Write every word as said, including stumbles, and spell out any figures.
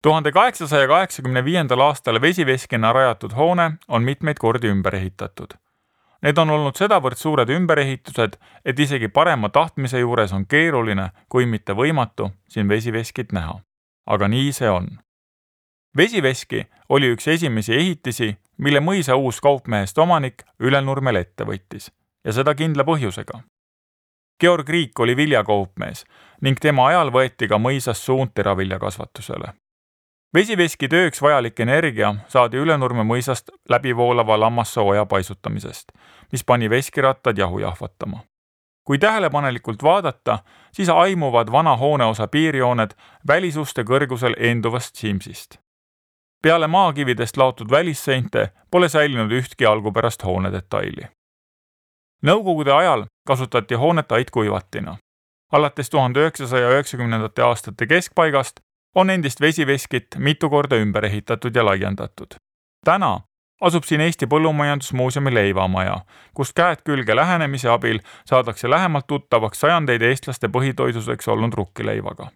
tuhande kaheksasaja kaheksakümne viiendal aastal vesiveskina rajatud hoone on mitmeid kordi ümber ehitatud. Need on olnud sedavõrd suured ümberehitused, et isegi parema tahtmise juures on keeruline, kui mitte võimatu, siin vesiveskit näha. Aga nii see on. Vesiveski oli üks esimesi ehitisi, mille mõisa uus kaupmehest omanik Ülenurmel ette võttis, ja seda kindla põhjusega. Georg Riik oli viljakaupmees ning tema ajal võeti ka mõisas suund teraviljakasvatusele. Vesiveski tööks vajalik energia saadi Ülenurme mõisast läbivoolava lammassooja paisutamisest, mis pani veskirattad jahu jahvatama. Kui tähelepanelikult vaadata, siis aimuvad vana hooneosa piirjooned välisuste kõrgusel eenduvast Simsist. Peale maakividest laotud välisseinte pole säilinud ühtki algupärast hoone detaili. Nõukogude ajal kasutati hoonet aitkuivatina. Alates tuhande üheksasaja üheksakümnendate aastate keskpaigast on endist vesiveskit mitu korda ümber ehitatud ja laiendatud. Täna asub siin Eesti Põllumajandusmuuseumi leivamaja, kust käed külge lähenemise abil saadakse lähemalt tuttavaks sajandeid eestlaste põhitoiduseks olnud rukkileivaga.